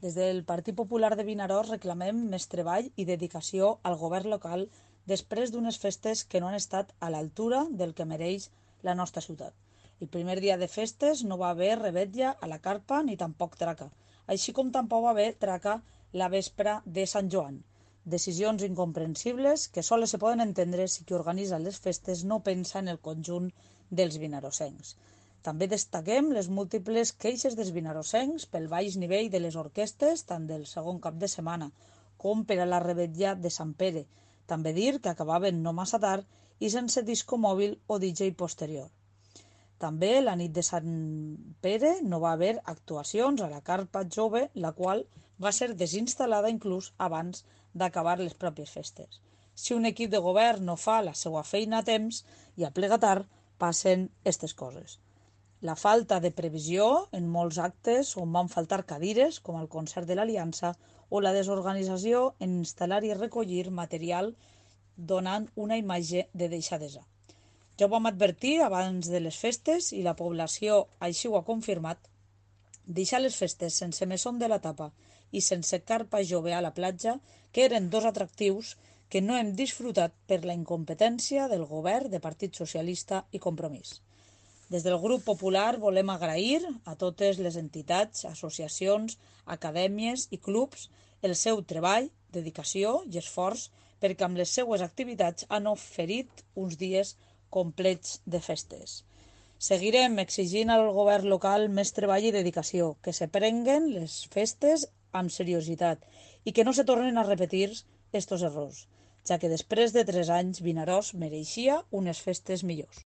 Des del Partit Popular de Vinaròs reclamem més treball i dedicació al govern local després d'unes festes que no han estat a l'altura del que mereix la nostra ciutat. El primer dia de festes no va haver revetlla a la carpa ni tampoc traca, així com tampoc va haver traca la vespra de Sant Joan. Decisions incomprensibles que sols se poden entendre si qui organitza les festes no pensa en el conjunt dels vinarosencs. També destaquem les múltiples queixes dels vinarosencs pel baix nivell de les orquestes, tant del segon cap de setmana com per a la revetlla de Sant Pere. També dir que acabaven no massa tard i sense disco mòbil o DJ posterior. També la nit de Sant Pere no va haver actuacions a la carpa jove, la qual va ser desinstal·lada inclús abans d'acabar les pròpies festes. Si un equip de govern no fa la seva feina a temps i aplega tard, passen aquestes coses. La falta de previsió en molts actes on van faltar cadires, com el concert de l'Aliança, o la desorganització en instal·lar i recollir material donant una imatge de deixadesa. Ja ho vam advertir abans de les festes i la població així ho ha confirmat. Deixar les festes sense mesón de la tapa i sense carpa jove a la platja, que eren dos atractius que no hem disfrutat per la incompetència del govern de Partit Socialista i Compromís. Des del grup popular volem agrair a totes les entitats, associacions, acadèmies i clubs el seu treball, dedicació i esforç perquè amb les seues activitats han oferit uns dies complets de festes. Seguirem exigint al govern local més treball i dedicació, que se prenguen les festes amb seriositat i que no se tornen a repetir estos errors, ja que després de 3 anys Vinaròs mereixia unes festes millors.